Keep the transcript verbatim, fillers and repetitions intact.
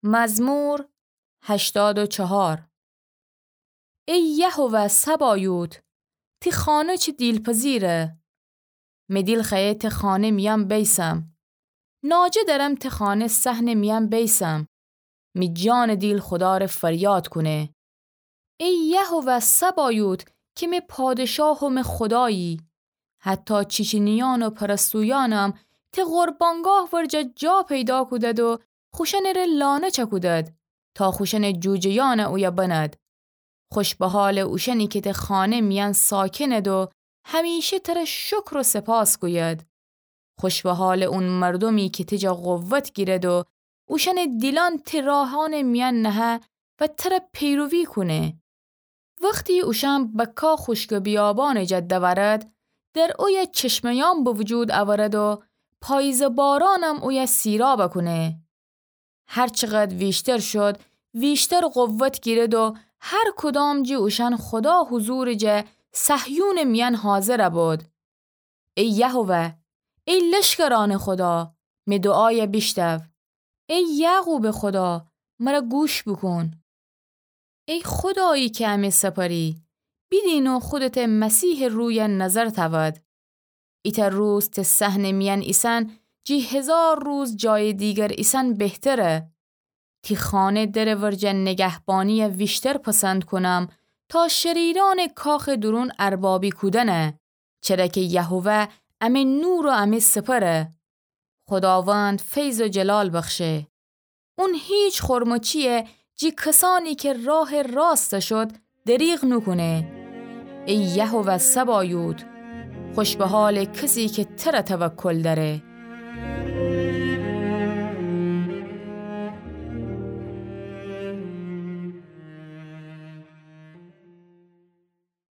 مزمور هشتاد و چهار. ای یهوه سبایوت، تی خانه چی دیلپذیره! می دیل خوأیه تی خانه میأن بیسم. ناجه درم تی خانه صحنٚ میأن بیسم. می جانٚ دیل خودا ره فریاد کونه. ای یهوه سبایوت کی می پادشاه و می خودایی. حتی چیچینیأن و پرستویأنم تی قربانگاه ورجه جا پیدا کودد و خوشأنٚ ره لانه چکودد تا خوشأنٚ جوجه‌یأن اویه بند. خوش به حالٚ اوشأنی کی تی خانه میأن ساکنید و همیشه تره شکر و سپاس گوید. خوش به حالٚ اون مردومی کی تی جا قوت گیرد و اوشأنٚ دیلأن تی راهأنٚ میأن نهه و تره پیروی کونه. وختی اوشأن بکا خوشکٚ بیابانٚ جا دورد، در اویه چشمه‌یأن به وجود اورد و پاییزٚ بارأنم اویه سیراب کونه. هر چقد ویشتر شد، ویشتر قوت گیرد و هر کدام جٚه اوشأن خودا حضورٚ جا صهیونٚ میأن حاضر بود. ای یهوه، ای لشکرأنٚ خودا، می دوعایه بیشتو. ای یعقوبٚ خودا، مره گوش بوکون. ای خودایی کی امی سپری، بیدین و خودته مسیحٚ رویه نظر تأود. ایتأ روز تی صحنٚ میأن ایسن جٚه هیزار روز جایٚ دیگر ایسن بهتره. تی خانه درٚ ورجه نگهبانی‌یه ویشتر پسند کونم تا شریرأنٚ کاخٚ دورون اربابی کودنه. چره کی یهوه امی نور و امی سپره. خوداوند فیض و جلال بخشه. اون هیچ خورمچی‌یه جٚه کسأنی کی راهٚ راست شد دریغ نوکونه. ای یهوه سبایوت، خوش به حالٚ کسی کی تره توکل دأره.